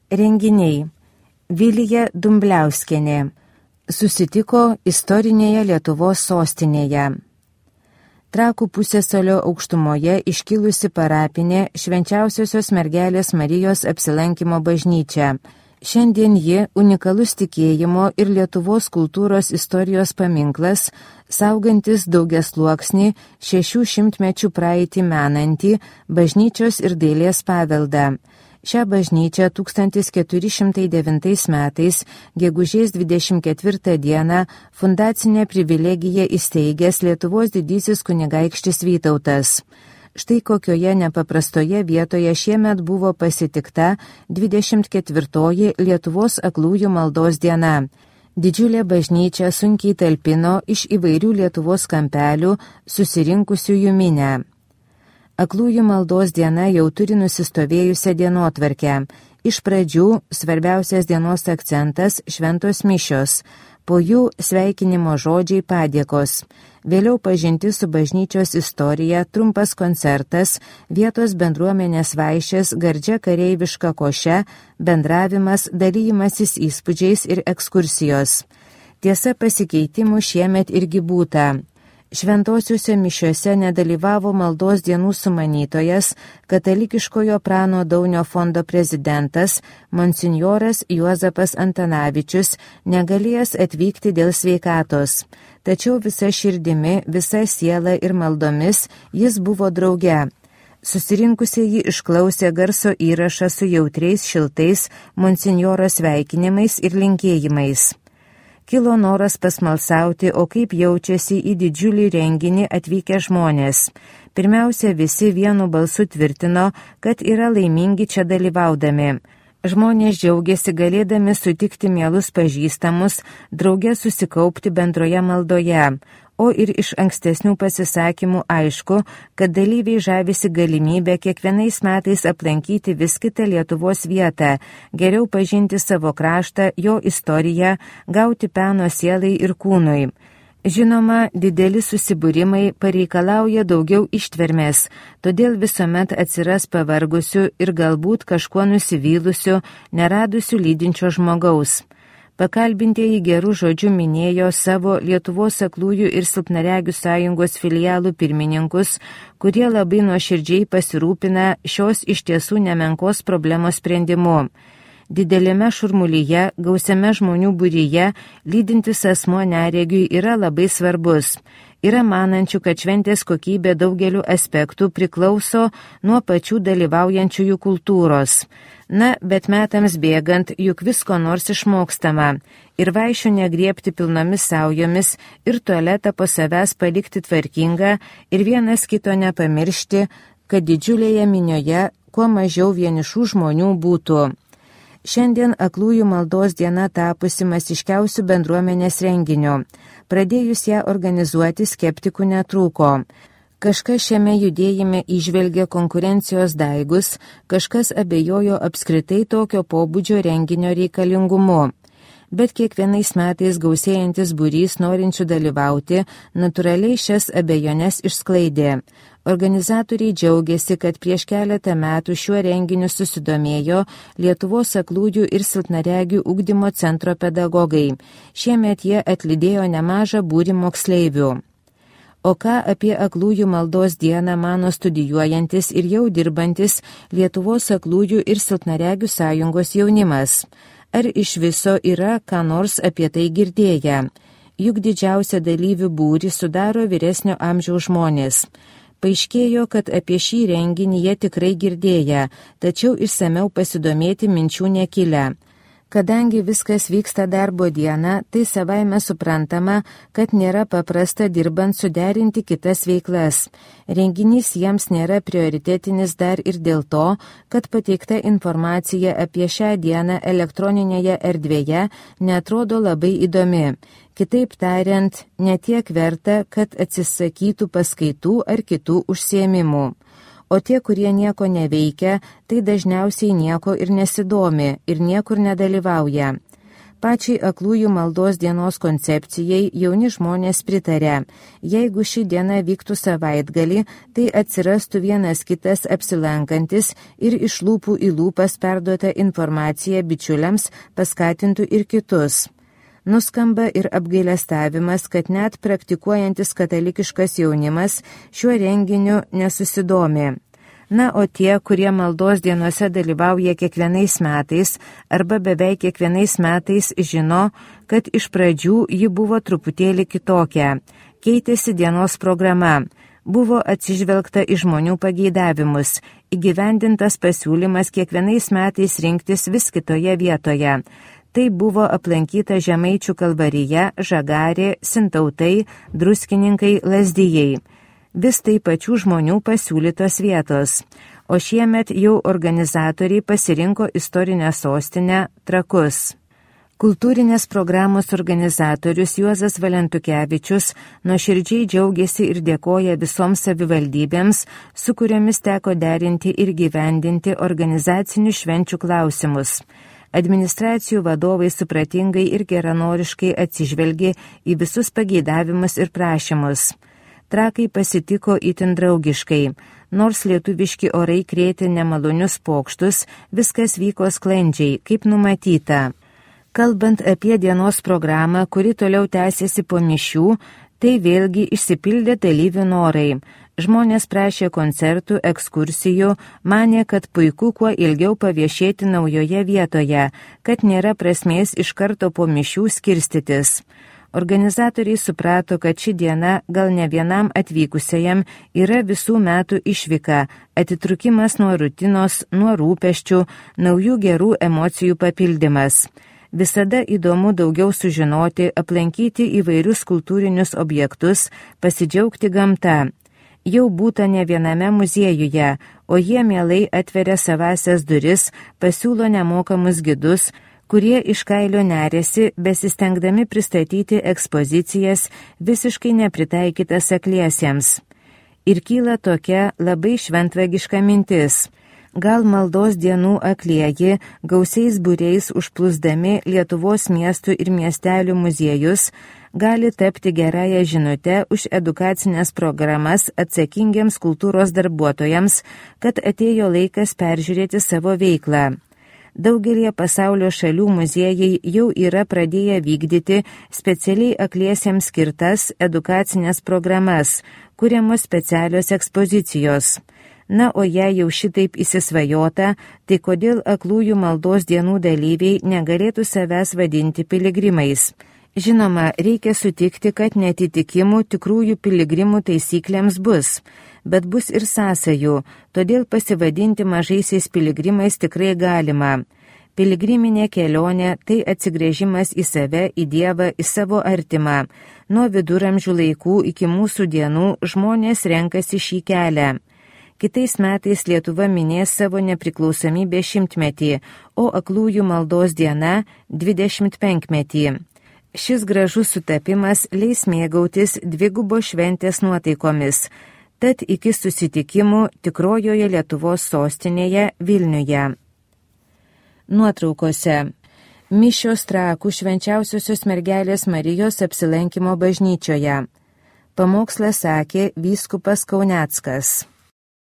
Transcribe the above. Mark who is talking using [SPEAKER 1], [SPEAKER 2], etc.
[SPEAKER 1] Renginiai. Vilija Dumbliauskienė susitiko istorinėje Lietuvos sostinėje. Trakų pusiasalio aukštumoje iškilusi parapinė Švenčiausiosios mergelės Marijos apsilankymo bažnyčia. Šiandien ji unikalus tikėjimo ir Lietuvos kultūros istorijos paminklas, saugantis daugiasluoksnį 600 mečių praeitį menantį bažnyčios ir dailės paveldą. Šią bažnyčią 1409 metais, gegužės 24 dieną, fundacinę privilegiją įsteigęs Lietuvos didysis kunigaikštis Vytautas. Štai kokioje nepaprastoje vietoje šiemet buvo pasitikta 24 Lietuvos aklųjų maldos diena. Didžiulė bažnyčia sunkiai talpino iš įvairių Lietuvos kampelių susirinkusiųjų minę. Aklųjų maldos diena jau turi nusistovėjusią dienotvarkę. Iš pradžių svarbiausias dienos akcentas šventos mišios, po jų sveikinimo žodžiai padėkos. Vėliau pažintis su bažnyčios istorija, trumpas koncertas, vietos bendruomenės vaišės, gardžia kareiviška koše, bendravimas, dalymasis įspūdžiais ir ekskursijos. Tiesa, pasikeitimų šiemet irgi būta. Šventosiuose mišiuose nedalyvavo maldos dienų sumanytojas, katalikiškojo Prano Daunio fondo prezidentas, monsinjoras Juozapas Antanavičius, negalėjęs atvykti dėl sveikatos. Tačiau visa širdimi, visa siela ir maldomis jis buvo drauge. Susirinkusieji išklausė garso įrašą su jautriais, šiltais monsinjoro sveikinimais ir linkėjimais. Kilo noras pasmalsauti, o kaip jaučiasi į didžiulį renginį atvykę žmonės. Pirmiausia, visi vienu balsu tvirtino, kad yra laimingi čia dalyvaudami. Žmonės džiaugiasi galėdami sutikti mielus pažįstamus, drauge susikaupti bendroje maldoje. O ir iš ankstesnių pasisakymų aišku, kad dalyviai žavisi galimybę kiekvienais metais aplankyti vis kitą Lietuvos vietą, geriau pažinti savo kraštą, jo istoriją, gauti peno sielai ir kūnui. Žinoma, dideli susibūrimai pareikalauja daugiau ištvermės, todėl visuomet atsiras pavargusių ir galbūt kažkuo nusivylusių, neradusių lydinčio žmogaus. Pakalbintieji gerų žodžių minėjo savo Lietuvos aklųjų ir silpnaregių sąjungos filialų pirmininkus, kurie labai nuoširdžiai pasirūpina šios iš tiesų nemenkos problemos sprendimu. Didelėme šurmulyje, gausiame žmonių būryje, lydintis asmuo neregiui yra labai svarbus. Yra manančių, kad šventės kokybė daugeliu aspektų priklauso nuo pačių dalyvaujančiųjų kultūros. Na, bet metams bėgant, juk visko nors išmokstama. Ir vaišių negriebti pilnomis saujomis, ir tualetą po savęs palikti tvarkingą, ir vienas kito nepamiršti, kad didžiulėje minioje kuo mažiau vienišų žmonių būtų. Šiandien aklųjų maldos diena tapusi masiškiausių bendruomenės renginių. Pradėjus ją organizuoti skeptikų netrūko. Kažkas šiame judėjime įžvelgė konkurencijos daigus, kažkas abejojo apskritai tokio pobūdžio renginio reikalingumu. Bet kiekvienais metais gausėjantis būrys norinčių dalyvauti natūraliai šias abejones išsklaidė. Organizatoriai džiaugiasi, kad prieš keletą metų šiuo renginiu susidomėjo Lietuvos aklųjų ir silpnaregių ugdymo centro pedagogai. Šiemet jie atlydėjo nemažą būrį moksleivių. O ką apie aklųjų maldos dieną mano studijuojantis ir jau dirbantis Lietuvos aklųjų ir silpnaregių sąjungos jaunimas? Ar iš viso yra ką nors apie tai girdėję? Juk didžiausią dalyvių būrį sudaro vyresnio amžiaus žmonės. Paaiškėjo, kad apie šį renginį jie tikrai girdėję, tačiau išsameu pasidomėti minčių nekilę. Kadangi viskas vyksta darbo dieną, tai savaime suprantama, kad nėra paprasta dirbant suderinti kitas veiklas. Renginys jiems nėra prioritetinis dar ir dėl to, kad pateikta informacija apie šią dieną elektroninėje erdvėje neatrodo labai įdomi. Kitaip tariant, netiek verta, kad atsisakytų paskaitų ar kitų užsiėmimų. O tie, kurie nieko neveikia, tai dažniausiai nieko ir nesidomi ir niekur nedalyvauja. Pačiai aklųjų maldos dienos koncepcijai jauni žmonės pritarė. Jeigu ši diena vyktų savaitgalį, tai atsirastų vienas kitas apsilankantis ir iš lūpų į lūpas perduota informacija bičiuliams paskatintų ir kitus. Nuskamba ir apgailestavimas, kad net praktikuojantis katalikiškas jaunimas šiuo renginiu nesusidomi. Na, o tie, kurie maldos dienose dalyvauja kiekvienais metais arba beveik kiekvienais metais žino, kad iš pradžių ji buvo truputėlį kitokia. Keitėsi dienos programa. Buvo atsižvelgta į žmonių pageidavimus. Įgyvendintas pasiūlymas kiekvienais metais rinktis vis kitoje vietoje. Tai buvo aplankyta Žemaičių Kalvarija, Žagarė, Sintautai, Druskininkai, Lazdijai. Vis tai pačių žmonių pasiūlytos vietos, o šiemet jau organizatoriai pasirinko istorinę sostinę Trakus. Kultūrinės programos organizatorius Juozas Valentukevičius nuoširdžiai džiaugiasi ir dėkoja visoms savivaldybėms, su kuriomis teko derinti ir gyvendinti organizacinių švenčių klausimus. Administracijų vadovai supratingai ir geranoriškai atsižvelgė į visus pageidavimus ir prašymus. Trakai pasitiko itin draugiškai. Nors lietuviški orai krėtė nemalonius pokštus, viskas vyko sklandžiai, kaip numatyta. Kalbant apie dienos programą, kuri toliau tęsėsi po mišių, tai vėlgi išsipildė dalyvių norai. Žmonės prašė koncertų, ekskursijų, manė, kad puiku kuo ilgiau paviešėti naujoje vietoje, kad nėra prasmės iš karto po mišių skirstytis. Organizatoriai suprato, kad ši diena gal ne vienam atvykusiajam yra visų metų išvyka, atitrukimas nuo rutinos, nuo rūpesčių, naujų gerų emocijų papildymas. Visada įdomu daugiau sužinoti, aplankyti įvairius kultūrinius objektus, pasidžiaugti gamta. Jau būta ne viename muziejuje, o jie mielai atveria savasias duris, pasiūlo nemokamus gidus, kurie iš kailio nerėsi, besistengdami pristatyti ekspozicijas visiškai nepritaikytas akliesiems. Ir kyla tokia labai šventvagiška mintis. Gal maldos dienų aklieji, gausiais būriais užplūsdami Lietuvos miestų ir miestelių muziejus, gali tapti gerąją žinutę už edukacinės programas atsakingiams kultūros darbuotojams, kad atėjo laikas peržiūrėti savo veiklą. Daugelie pasaulio šalių muziejai jau yra pradėję vykdyti specialiai akliesiems skirtas edukacinės programas, kuriamos specialios ekspozicijos. Na, o jei jau šitaip įsisvajota, tai kodėl aklųjų maldos dienų dalyviai negalėtų savęs vadinti piligrimais? Žinoma, reikia sutikti, kad netitikimų tikrųjų piligrimų taisyklėms bus, bet bus ir sąsajų, todėl pasivadinti mažaisiais piligrimais tikrai galima. Piligriminė kelionė – tai atsigręžimas į save, į Dievą, į savo artimą. Nuo viduramžių laikų iki mūsų dienų žmonės renkasi šį kelią. Kitais metais Lietuva minės savo nepriklausomybės 100-metį, o aklųjų maldos diena 25-metį. Šis gražus sutapimas leis mėgautis dvigubo šventės nuotaikomis. Tad iki susitikimų tikrojoje Lietuvos sostinėje Vilniuje. Nuotraukose. Mišios Trakų Švenčiausiosios Mergelės Marijos apsilankimo bažnyčioje. Pamokslą sakė vyskupas Kauneckas.